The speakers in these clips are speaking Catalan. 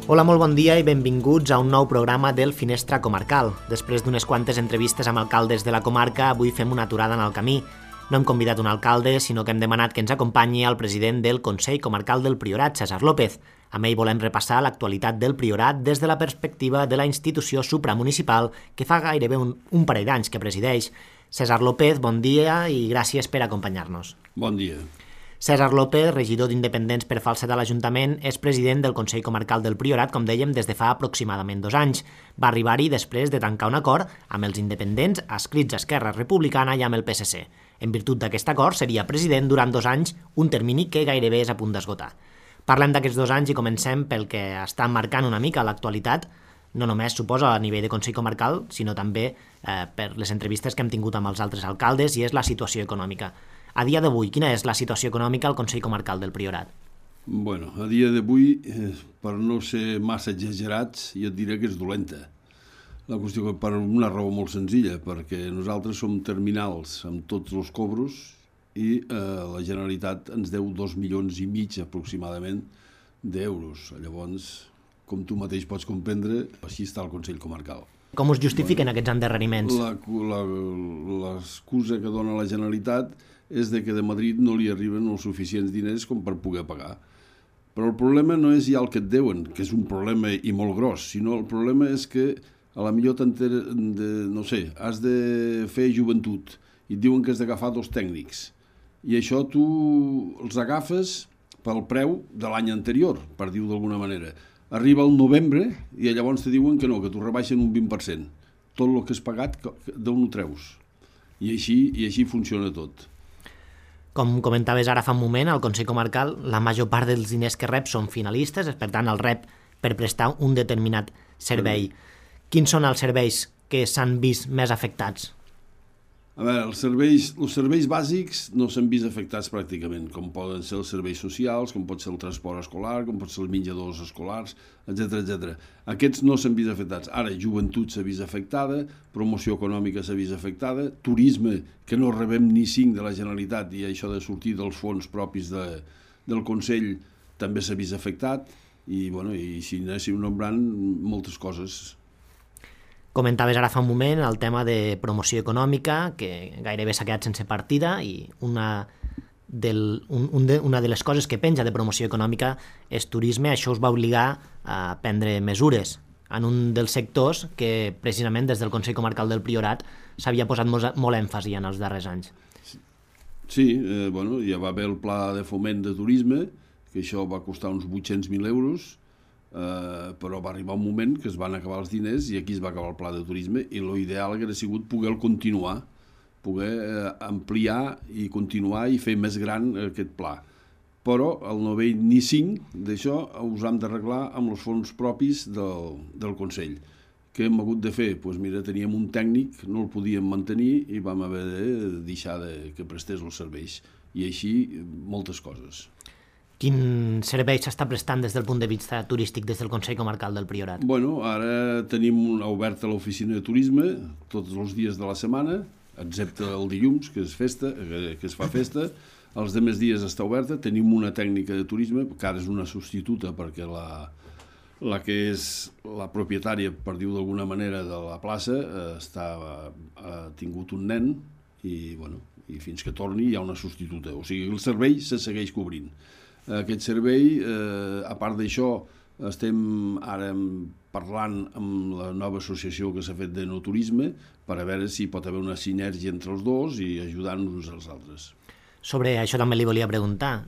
Hola, molt bon dia i benvinguts a un nou programa del Finestra Comarcal. Després d'unes quantes entrevistes amb alcaldes de la comarca, avui fem una aturada en el camí. No hem convidat un alcalde, sinó que hem demanat que ens acompanyi el president del Consell Comarcal del Priorat, César López. Amb ell volem repassar l'actualitat del Priorat des de la perspectiva de la institució supramunicipal que fa gairebé un parell d'anys que presideix. César López, bon dia i gràcies per acompanyar-nos. Bon dia. César López, regidor d'Independents per Falset a l'Ajuntament, és president del Consell Comarcal del Priorat, com dèiem, des de fa aproximadament 2 anys. Va arribar-hi després de tancar un acord amb els independents adscrits a Esquerra Republicana i amb el PSC. En virtut d'aquest acord, seria president durant 2 anys, un termini que gairebé és a punt d'esgotar. Parlem d'aquests 2 anys i comencem pel que està marcant una mica l'actualitat, no només suposa a nivell de Consell Comarcal, sinó també per les entrevistes que hem tingut amb els altres alcaldes, i és la situació econòmica. A dia d'avui, quina és la situació econòmica al Consell Comarcal del Priorat? Bueno, a dia d'avui, per no ser massa exagerats, jo et diré que és dolenta. La qüestió que per una raó molt senzilla, perquè nosaltres som terminals amb tots els cobros i la Generalitat ens deu 2,5 milions aproximadament d'euros. Llavors, com tu mateix pots comprendre, així està el Consell Comarcal. Com us justifiquen aquests endarreriments? L'excusa que dona la Generalitat és de que de Madrid no li arriben els suficients diners com per poder pagar. Però el problema no és ja el que et deuen, que és un problema i molt gros, sinó el problema és que a la millor has de fer joventut i et diuen que has d'agafar 2 tècnics. I això tu els agafes pel preu de l'any anterior, per dir-ho d'alguna manera. Arriba el novembre i llavors te diuen que no, que t'ho rebaixen un 20%. Tot el que has pagat, d'on ho treus? I així funciona tot. Com comentaves ara fa un moment, al Consell Comarcal la major part dels diners que rep són finalistes, per tant el rep per prestar un determinat servei. Quins són els serveis que s'han vist més afectats? A veure, els serveis bàsics no s'han vist afectats pràcticament, com poden ser els serveis socials, com pot ser el transport escolar, com pot ser els menjadors escolars, etc. Aquests no s'han vist afectats. Ara, joventut s'ha vist afectada, promoció econòmica s'ha vist afectada, turisme, que no rebem ni 5 de la Generalitat, i això de sortir dels fons propis del Consell també s'ha vist afectat, i si anéssim nombrant moltes coses. Comentaves ara fa un moment el tema de promoció econòmica, que gairebé s'ha quedat sense partida, i una de les coses que penja de promoció econòmica és turisme. Això us va obligar a prendre mesures en un dels sectors que precisament des del Consell Comarcal del Priorat s'havia posat molt èmfasi en els darrers anys. Sí, ja va haver el pla de foment de turisme, que això va costar uns 800.000 euros, però va arribar un moment que es van acabar els diners i aquí es va acabar el pla de turisme, i l'ideal hauria sigut poder continuar, poder ampliar i continuar i fer més gran aquest pla. Però el no ve ni 5 d'això us hem d'arreglar amb els fons propis del Consell. Què hem hagut de fer? Doncs mira, teníem un tècnic, no el podíem mantenir i vam haver de deixar que prestés els serveis. I així moltes coses. Quin servei s'està prestant des del punt de vista turístic des del Consell Comarcal del Priorat? Ara tenim oberta l'oficina de turisme tots els dies de la setmana, excepte el dilluns, que es fa festa. Els demés dies està oberta. Tenim una tècnica de turisme, que ara és una substituta perquè la que és la propietària, per dir-ho d'alguna manera, de la plaça ha tingut un nen i fins que torni hi ha una substituta. O sigui, el servei se segueix cobrint. Aquest servei, a part d'això, estem ara parlant amb la nova associació que s'ha fet de no turisme per a veure si pot haver una sinergia entre els dos i ajudar-nos uns als altres. Sobre això també li volia preguntar.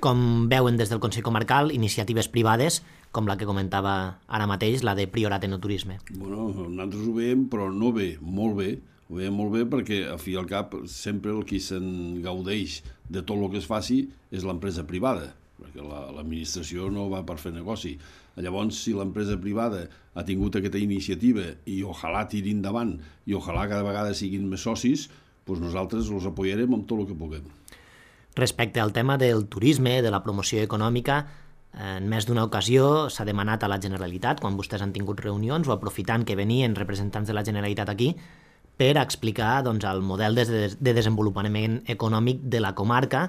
Com veuen des del Consell Comarcal iniciatives privades com la que comentava ara mateix, la de Priorat Enoturisme? Nosaltres ho veiem, però no bé, molt bé. Ho veiem molt bé perquè, al fi i al cap, sempre el qui se'n gaudeix de tot el que es faci és l'empresa privada, perquè l'administració no va per fer negoci. Llavors, si l'empresa privada ha tingut aquesta iniciativa i ojalà tiri endavant i ojalà cada vegada siguin més socis, doncs nosaltres els apoyarem amb tot el que puguem. Respecte al tema del turisme, de la promoció econòmica, en més d'una ocasió s'ha demanat a la Generalitat, quan vostès han tingut reunions o aprofitant que venien representants de la Generalitat aquí, per explicar el model de desenvolupament econòmic de la comarca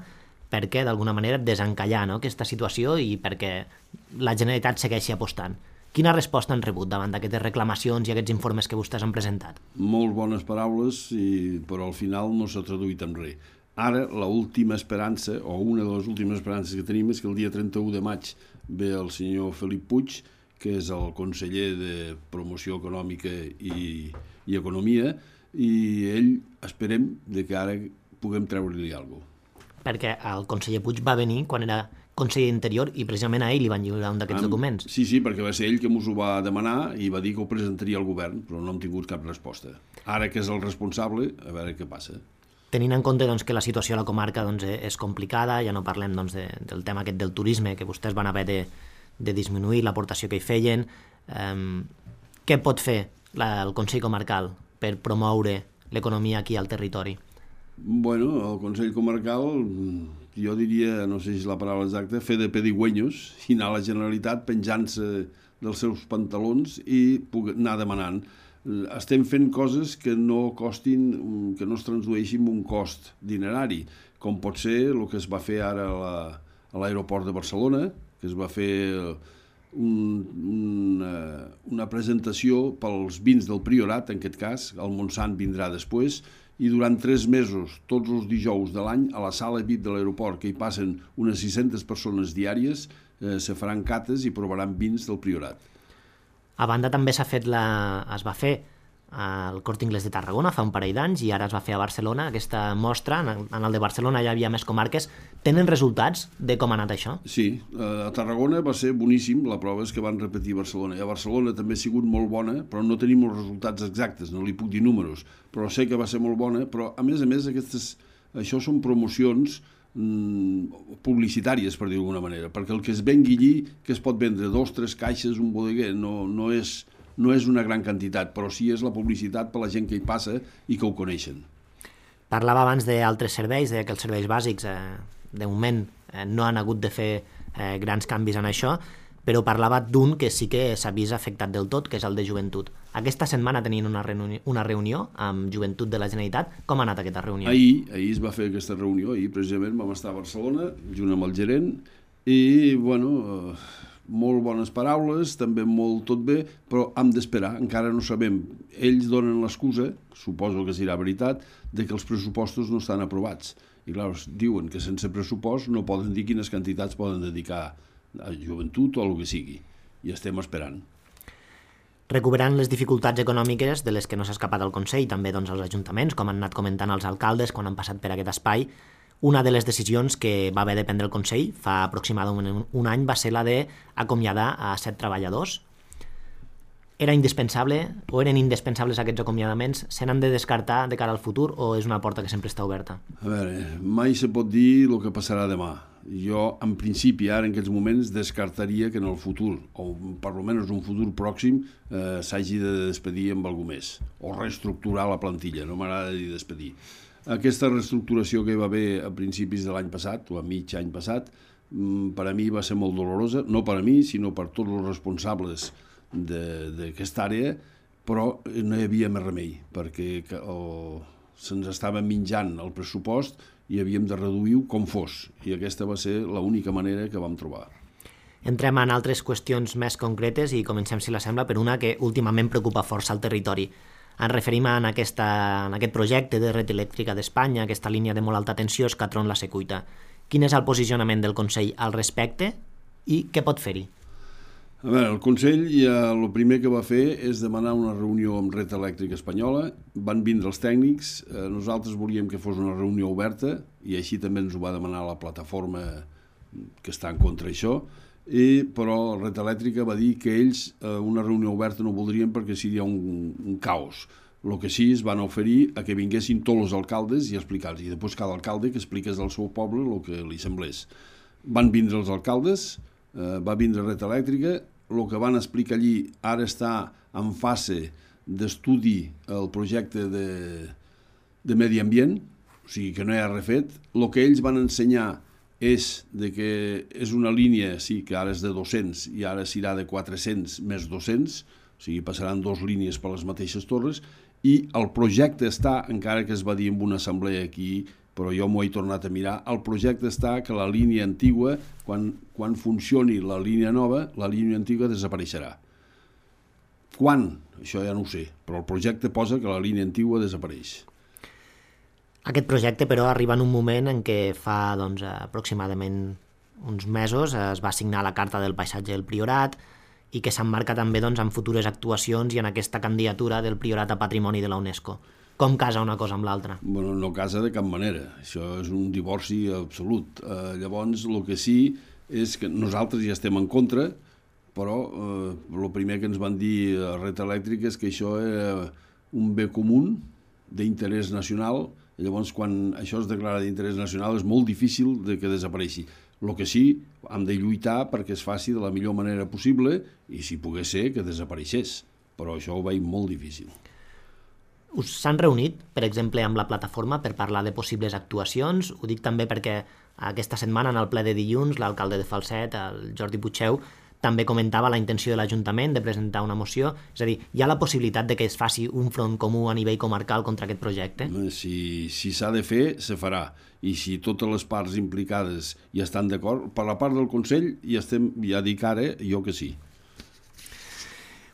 perquè d'alguna manera desencallar, no?, aquesta situació i perquè la Generalitat segueixi apostant. Quina resposta han rebut davant d'aquestes reclamacions i aquests informes que vostès han presentat? Molt bones paraules, però al final no s'ha traduït en res. Ara, l'última esperança, o una de les últimes esperances que tenim, és que el dia 31 de maig ve el senyor Felip Puig, que és el conseller de Promoció Econòmica i Economia, i ell esperem que ara puguem treure-li alguna cosa. Perquè el conseller Puig va venir quan era conseller d'Interior i precisament a ell li van lliurar un d'aquests documents. Sí, perquè va ser ell que ens ho va demanar i va dir que ho presentaria al govern, però no hem tingut cap resposta. Ara que és el responsable, a veure què passa. Tenint en compte que la situació a la comarca és complicada, ja no parlem del tema aquest del turisme, que vostès van haver de disminuir l'aportació que hi feien, què pot fer el Consell Comarcal per promoure l'economia aquí al territori? Bueno, el Consell Comarcal, jo diria, no sé si és la paraula exacta, fer de pedigüenyos i anar a la Generalitat penjant-se dels seus pantalons i anar demanant. Estem fent coses que no costin, que no es tradueixin en un cost dinerari, com pot ser el que es va fer ara a l'aeroport de Barcelona, que es va fer una presentació pels vins del Priorat, en aquest cas, el Montsant vindrà després, i durant 3 mesos, tots els dijous de l'any, a la sala VIP de l'aeroport, que hi passen unes 600 persones diàries, se faran cates i provaran vins del Priorat. A banda també es va fer al Corte Inglés de Tarragona fa un parell d'anys i ara es va fer a Barcelona aquesta mostra, en el de Barcelona ja hi havia més comarques. Tenen resultats de com ha anat això? Sí, a Tarragona va ser boníssim, la prova és que van repetir Barcelona, i a Barcelona també ha sigut molt bona, però no tenim els resultats exactes, no li puc dir números, però sé que va ser molt bona, però a més això són promocions publicitàries, per dir d'alguna manera, perquè el que es vengui allí, que es pot vendre 2 o 3 caixes, un bodeguer, no és una gran quantitat, però sí és la publicitat per la gent que hi passa i que ho coneixen. Parlava abans d'altres serveis, que els serveis bàsics de moment no han hagut de fer grans canvis en això, però parlava d'un que sí que s'ha vist afectat del tot, que és el de joventut. Aquesta setmana tenien una reunió amb Joventut de la Generalitat. Com ha anat aquesta reunió? Ahir es va fer aquesta reunió, ahir precisament vam estar a Barcelona, junt amb el gerent, i, bueno, molt bones paraules, també molt tot bé, però hem d'esperar, encara no sabem. Ells donen l'excusa, suposo que serà veritat, de que els pressupostos no estan aprovats. I clar, diuen que sense pressupost no poden dir quines quantitats poden dedicar a joventut o a el que sigui. I estem esperant. Recuperant les dificultats econòmiques de les que no s'ha escapat el Consell, també els ajuntaments, com han anat comentant els alcaldes quan han passat per aquest espai, una de les decisions que va haver de prendre el Consell fa aproximadament un any va ser la d'acomiadar a 7 treballadors. Era indispensable o eren indispensables aquests acomiadaments? Se n'han de descartar de cara al futur o és una porta que sempre està oberta? A veure, mai se pot dir el que passarà demà. Jo, en principi, ara en aquests moments, descartaria que en el futur, o per almenys un futur pròxim, s'hagi de despedir amb alguna més, o reestructurar la plantilla, no m'agrada dir despedir. Aquesta reestructuració que hi va haver a principis de l'any passat, o a mig any passat, per a mi va ser molt dolorosa, no per a mi, sinó per tots els responsables d'aquesta àrea, però no hi havia més remei, perquè se'ns estava menjant el pressupost i havíem de reduir-ho com fos, i aquesta va ser l'única manera que vam trobar. Entrem en altres qüestions més concretes i comencem, si la sembla, per una que últimament preocupa força al territori. Ens referim en aquest projecte de red elèctrica d'Espanya, aquesta línia de molt alta tensió, Escatron-La Secuita. Quin és el posicionament del Consell al respecte i què pot fer-hi? A veure, el Consell ja el primer que va fer és demanar una reunió amb Red Elèctrica Espanyola, van vindre els tècnics, nosaltres volíem que fos una reunió oberta i així també ens ho va demanar la plataforma que està en contra d'això, però Red Elèctrica va dir que ells una reunió oberta no voldrien perquè seria un caos. El que sí es van oferir a que vinguessin tots els alcaldes i explicar-los, i després cada alcalde que expliqués del seu poble el que li semblés. Van vindre els alcaldes, va vindre Red Elèctrica, el que van explicar allí ara està en fase d'estudi el projecte de medi ambient, o sigui que no hi ha refet. El que ells van ensenyar és que és una línia, sí, que ara és de 200 i ara serà de 400 més 200, o sigui, passaran 2 línies per les mateixes torres, i el projecte està, encara que es va dir en una assemblea aquí, però jo m'ho he tornat a mirar. El projecte està que la línia antigua, quan funcioni la línia nova, la línia antigua desapareixerà. Quan? Això ja no ho sé, però el projecte posa que la línia antigua desapareix. Aquest projecte, però, arriba en un moment en què fa aproximadament uns mesos es va signar la Carta del Paisatge del Priorat i que s'emmarca també en futures actuacions i en aquesta candidatura del Priorat a Patrimoni de la UNESCO. Com casa una cosa amb l'altra? Bueno, no casa de cap manera. Això és un divorci absolut. Llavors, el que sí és que nosaltres ja estem en contra, però el primer que ens van dir a Red Elèctrica és que això era un bé comú d'interès nacional. Llavors, quan això es declara d'interès nacional, és molt difícil de que desapareixi. El que sí, hem de lluitar perquè es faci de la millor manera possible i, si pogués ser, que desapareixés. Però això ho veig molt difícil. Us s'han reunit, per exemple, amb la plataforma per parlar de possibles actuacions? Ho dic també perquè aquesta setmana, en el ple de dilluns, l'alcalde de Falset, el Jordi Puigdeu, també comentava la intenció de l'Ajuntament de presentar una moció. És a dir, hi ha la possibilitat de que es faci un front comú a nivell comarcal contra aquest projecte? Si s'ha de fer, se farà. I si totes les parts implicades hi estan d'acord, per la part del Consell ja dic ara jo que sí.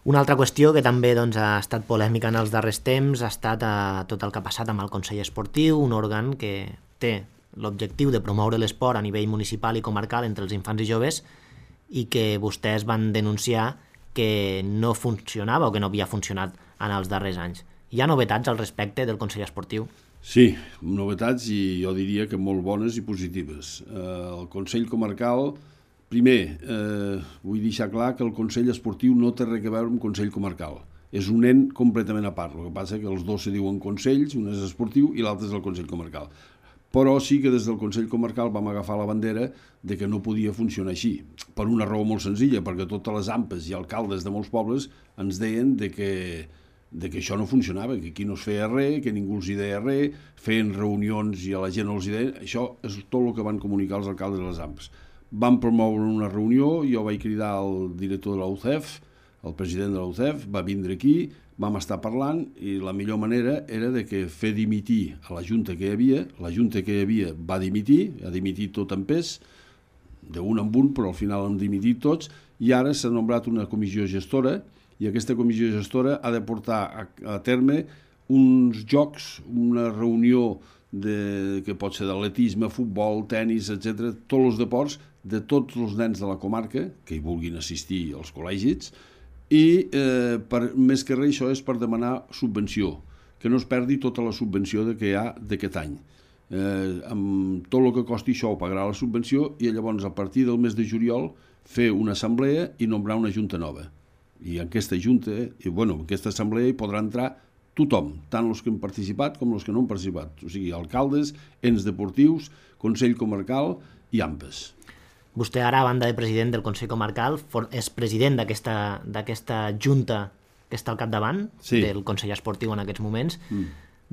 Una altra qüestió que també ha estat polèmica en els darrers temps ha estat tot el que ha passat amb el Consell Esportiu, un òrgan que té l'objectiu de promoure l'esport a nivell municipal i comarcal entre els infants i joves i que vostès van denunciar que no funcionava o que no havia funcionat en els darrers anys. Hi ha novetats al respecte del Consell Esportiu? Sí, novetats i jo diria que molt bones i positives. El Consell Comarcal... Primer, vull deixar clar que el Consell Esportiu no té res a veure amb Consell Comarcal. És un ent completament a part. El que passa és que els dos se diuen consells, un és esportiu i l'altre és el Consell Comarcal. Però sí que des del Consell Comarcal vam agafar la bandera de que no podia funcionar així. Per una raó molt senzilla, perquè totes les AMPes i alcaldes de molts pobles ens deien de que això no funcionava, que aquí no es feia res, que ningú els hi deia res, feien reunions i a la gent no els hi deia... Això és tot el que van comunicar els alcaldes de les AMPes. Vam promoure una reunió, jo vaig cridar al director de la UCEF, el president de la UCEF, va vindre aquí, vam estar parlant i la millor manera era de que fer dimitir a la junta que hi havia va dimitir, ha dimitit tot en pes, d'un en un, però al final han dimitit tots, i ara s'ha nombrat una comissió gestora i aquesta comissió gestora ha de portar a terme uns jocs, una reunió que pot ser d'atletisme, futbol, tennis, etc., tots els deports de tots els nens de la comarca que hi vulguin assistir als col·legis i més que res això és per demanar subvenció, que no es perdi tota la subvenció que hi ha d'aquest any. Amb tot el que costi això ho pagarà la subvenció i llavors a partir del mes de juliol fer una assemblea i nombrar una junta nova. I en aquesta junta, en aquesta assemblea hi podrà entrar tothom, tant els que han participat com els que no han participat, o sigui, alcaldes, ens deportius, Consell Comarcal i AMPes. Vostè ara, a banda de president del Consell Comarcal, és president d'aquesta junta que està al capdavant del Consell Esportiu en aquests moments.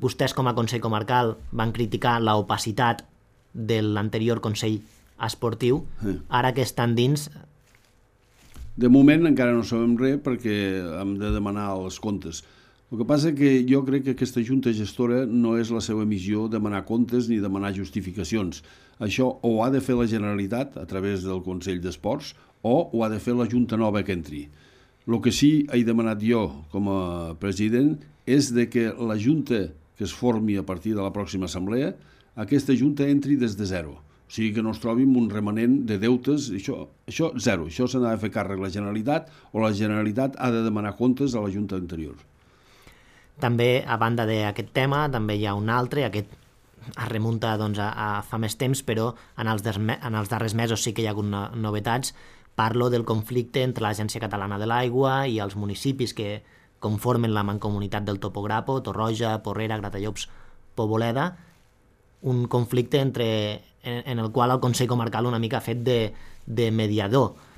Vostès, com a Consell Comarcal, van criticar l'opacitat de l'anterior Consell Esportiu. Ara que estan dins... De moment encara no sabem res perquè hem de demanar els comptes. El que passa és que jo crec que aquesta junta gestora no és la seva missió demanar comptes ni demanar justificacions. Això o ha de fer la Generalitat a través del Consell d'Esports o ho ha de fer la junta nova que entri. El que sí he demanat jo com a president és de que la junta que es formi a partir de la pròxima assemblea, aquesta junta entri des de zero. O sigui que no es trobi amb un remanent de deutes, això zero. Això se n'ha de fer càrrec la Generalitat o la Generalitat ha de demanar comptes a la junta anterior. També, a banda d'aquest tema, també hi ha un altre, aquest es remunta a fa més temps, però en els darrers mesos sí que hi ha hagut novetats. Parlo del conflicte entre l'Agència Catalana de l'Aigua i els municipis que conformen la mancomunitat del Topograpo, Torroja, Porrera, Gratallops, Poboleda, un conflicte en el qual el Consell Comarcal una mica ha fet de mediador.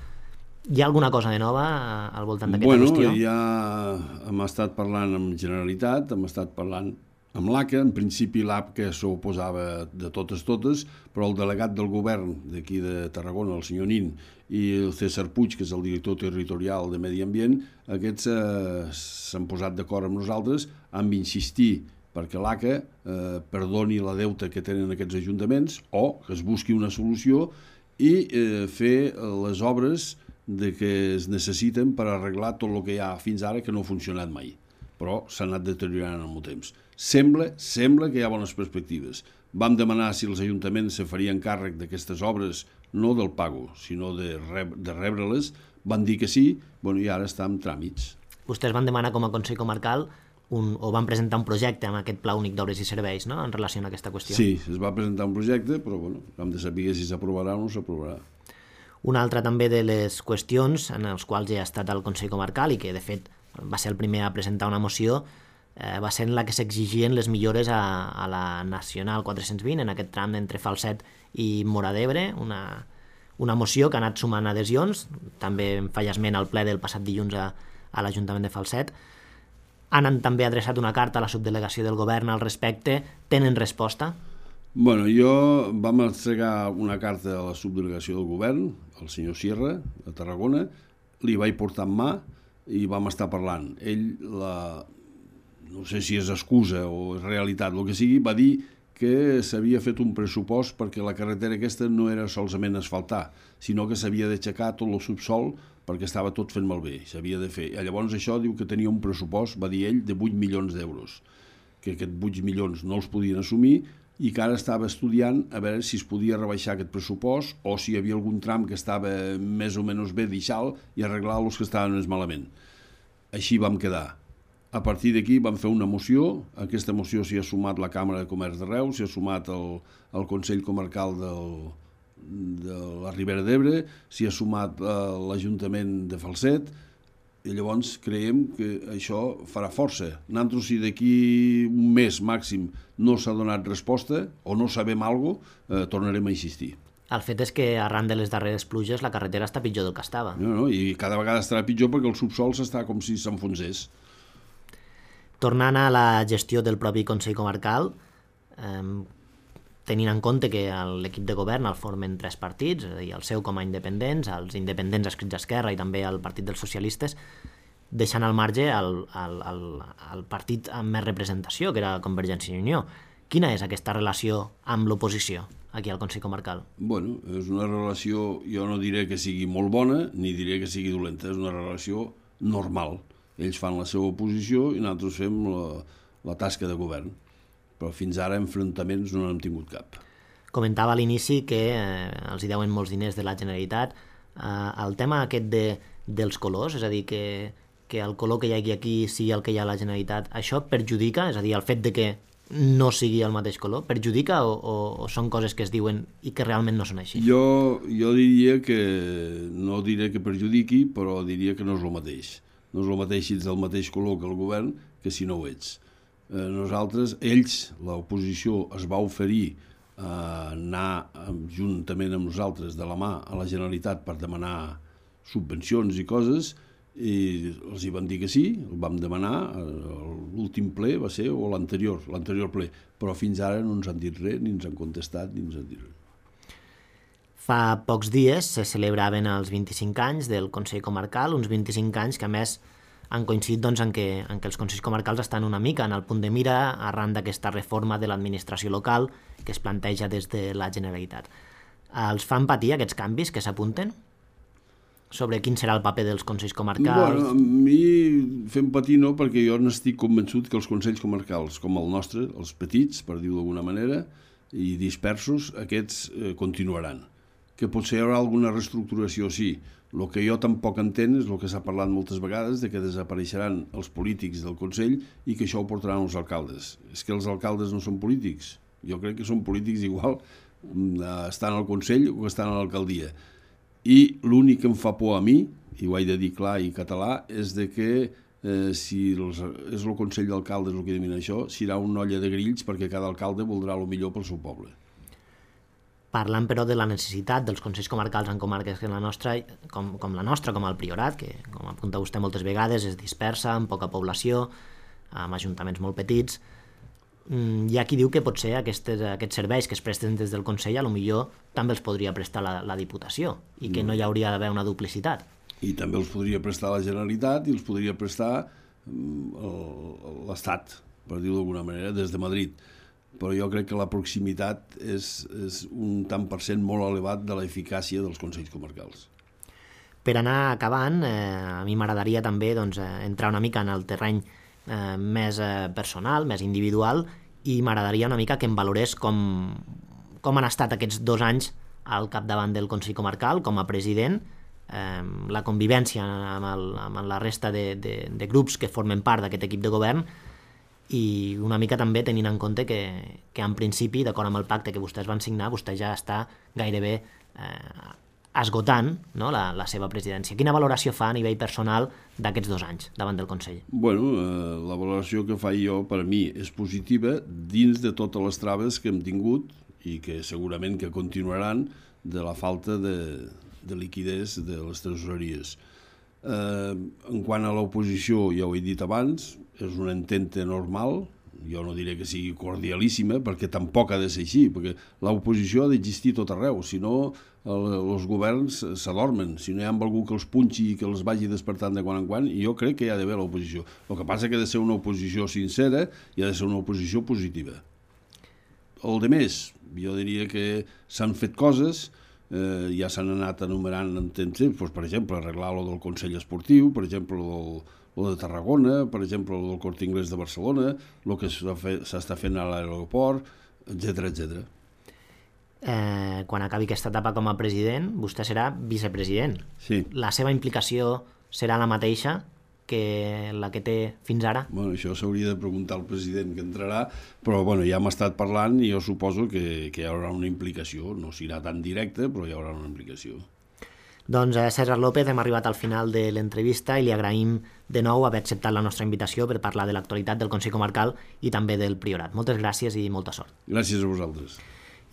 Hi ha alguna cosa de nova al voltant d'aquesta qüestió? Ja hem estat parlant amb Generalitat, hem estat parlant amb l'ACA, en principi l'AP que s'oposava de totes, però el delegat del govern d'aquí de Tarragona, el senyor Nin, i el César Puig, que és el director territorial de Medi Ambient, aquests s'han posat d'acord amb nosaltres, han d'insistir perquè l'ACA perdoni la deuta que tenen aquests ajuntaments o que es busqui una solució i fer les obres que es necessiten per arreglar tot el que hi ha fins ara que no ha funcionat mai, però s'ha anat deteriorant en el temps. Sembla que hi ha bones perspectives. Vam demanar si els ajuntaments se farien càrrec d'aquestes obres, no del pago, sinó de rebre-les. Van dir que sí, i ara està en tràmits. Vostès van demanar com a Consell Comarcal o van presentar un projecte amb aquest Pla Únic d'Obres i Serveis, no?, en relació a aquesta qüestió. Sí, es va presentar un projecte, però hem de saber si s'aprovarà o no s'aprovarà. Una altra també de les qüestions en les quals ja ha estat el Consell Comarcal i que de fet va ser el primer a presentar una moció va ser en la que s'exigien les millores a la Nacional 420 en aquest tram entre Falset i Móra d'Ebre, una moció que ha anat sumant adhesions, també en feia esment al ple del passat dilluns a l'Ajuntament de Falset. Han també adreçat una carta a la subdelegació del govern al respecte. Tenen resposta? Vam entregar una carta a la subdelegació del govern, al senyor Sierra, de Tarragona, li vaig portar en mà i vam estar parlant. Ell, no sé si és excusa o és realitat, el que sigui, va dir que s'havia fet un pressupost perquè la carretera aquesta no era solament asfaltar, sinó que s'havia d'aixecar tot el subsol perquè estava tot fent malbé, s'havia de fer. I llavors això diu que tenia un pressupost, va dir ell, de 8 milions d'euros, que aquests 8 milions no els podien assumir i que ara estava estudiant a veure si es podia rebaixar aquest pressupost o si hi havia algun tram que estava més o menys bé deixat i arreglar els que estaven més malament. Així vam quedar. A partir d'aquí vam fer una moció, aquesta moció s'hi ha sumat la Càmera de Comerç de Reus, s'hi ha sumat el Consell Comarcal de la Ribera d'Ebre, s'hi ha sumat l'Ajuntament de Falset, i llavors creiem que això farà força. Nosaltres, si d'aquí un mes màxim no s'ha donat resposta o no sabem alguna cosa, tornarem a insistir. El fet és que arran de les darreres pluges la carretera està pitjor del que estava. No, i cada vegada estarà pitjor perquè el subsol s'està com si s'enfonsés. Tornant a la gestió del propi Consell Comarcal, tenint en compte que l'equip de govern el formen 3 partits, és a dir, el seu com a independents, els independents adscrits a Esquerra i també el Partit dels Socialistes, deixant al marge el partit amb més representació, que era Convergència i Unió. Quina és aquesta relació amb l'oposició aquí al Consell Comarcal? És una relació, jo no diré que sigui molt bona, ni diré que sigui dolenta, és una relació normal. Ells fan la seva oposició i nosaltres fem la tasca de govern. Però fins ara enfrontaments no n'hem tingut cap. Comentava a l'inici que els hi deuen molts diners de la Generalitat. El tema aquest dels colors, és a dir, que el color que hi hagi aquí sigui el que hi ha a la Generalitat, això perjudica? És a dir, el fet de que no sigui el mateix color, perjudica o són coses que es diuen i que realment no són així? Jo diria que, no diré que perjudiqui, però diria que no és el mateix. No és el mateix si ets del mateix color que el govern que si no ho ets. Ells, l'oposició, es va oferir a anar juntament amb nosaltres de la mà a la Generalitat per demanar subvencions i coses i els hi van dir que sí, el vam demanar, l'últim ple va ser, o l'anterior ple, però fins ara no ens han dit res, ni ens han contestat, ni ens han dit res. Fa pocs dies se celebraven els 25 anys del Consell Comarcal, uns 25 anys que a més han coincidit en què els Consells Comarcals estan una mica en el punt de mira arran d'aquesta reforma de l'administració local que es planteja des de la Generalitat. Els fan patir aquests canvis que s'apunten? Sobre quin serà el paper dels Consells Comarcals? A mi fem patir no, perquè jo n'estic convençut que els Consells Comarcals, com el nostre, els petits, per dir-ho d'alguna manera, i dispersos, aquests continuaran. Que potser hi haurà alguna reestructuració, sí. El que jo tampoc entenc és el que s'ha parlat moltes vegades, de que desapareixeran els polítics del Consell i que això ho portaran els alcaldes. És que els alcaldes no són polítics. Jo crec que són polítics igual estan al Consell o estan a l'alcaldia. I l'únic que em fa por a mi, i ho he de dir clar i català, és de que si és el Consell d'Alcaldes el que domina això, serà una olla de grills perquè cada alcalde voldrà el millor pel seu poble. Parlant, però, de la necessitat dels Consells Comarcals en comarques com la nostra, com el Priorat, que, com apunta vostè moltes vegades, és dispersa, amb poca població, amb ajuntaments molt petits. Hi ha qui diu que potser aquests serveis que es presten des del Consell potser també els podria prestar la Diputació i que no hi hauria d'haver una duplicitat. I també els podria prestar la Generalitat i els podria prestar l'Estat. per dir-ho d'alguna manera, des de Madrid. Però jo crec que la proximitat és un tant per cent molt elevat de l'eficàcia dels consells comarcals. Per anar acabant, a mi m'agradaria també entrar una mica en el terreny més personal, més individual, i m'agradaria una mica que em valorés com han estat aquests 2 anys al capdavant del Consell Comarcal com a president, la convivència amb la resta de grups que formen part d'aquest equip de govern, i una mica també tenint en compte que en principi, d'acord amb el pacte que vostès van signar, vostè ja està gairebé esgotant, no, la seva presidència. Quina valoració fa a nivell personal d'aquests 2 anys davant del Consell? Bueno, la valoració que faig jo, per a mi, és positiva dins de totes les traves que hem tingut i que segurament que continuaran de la falta de liquidez de les tresoreries. En quant a l'oposició, ja ho he dit abans, és una entente normal, jo no diré que sigui cordialíssima, perquè tampoc ha de ser així, perquè l'oposició ha d'existir tot arreu, si no els governs s'adormen, si no hi ha algú que els punxi i que els vagi despertant de quan en quan, i jo crec que hi ha d'haver l'oposició. El que passa que ha de ser una oposició sincera i ha de ser una oposició positiva. El de més, jo diria que s'han fet coses, ja s'han anat enumerant en temps, per exemple, arreglar lo del Consell Esportiu, per exemple, lo de Tarragona, per exemple, lo del Corte Inglés de Barcelona, el que s'està fent a l'aeroport, etc etc. Quan acabi aquesta etapa com a president, vostè serà vicepresident. Sí. La seva implicació serà la mateixa que la que té fins ara? Bueno, això s'hauria de preguntar al president que entrarà, però bueno, ja hem estat parlant i jo suposo que hi haurà una implicació. No serà tan directa, però hi haurà una implicació. Doncs César López, hem arribat al final de l'entrevista i li agraïm de nou haver acceptat la nostra invitació per parlar de l'actualitat del Consell Comarcal i també del Priorat. Moltes gràcies i molta sort. Gràcies a vosaltres.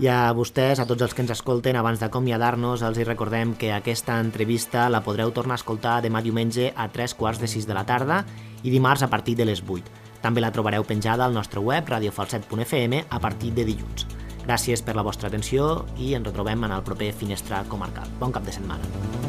I a vostès, a tots els que ens escolten, abans d'acomiadar-nos, els recordem que aquesta entrevista la podreu tornar a escoltar demà diumenge a 5:45 de la tarda i dimarts a partir de les 8. També la trobareu penjada al nostre web radiofalset.fm a partir de dilluns. Gràcies per la vostra atenció i ens retrobem en el proper Finestra Comarcal. Bon cap de setmana.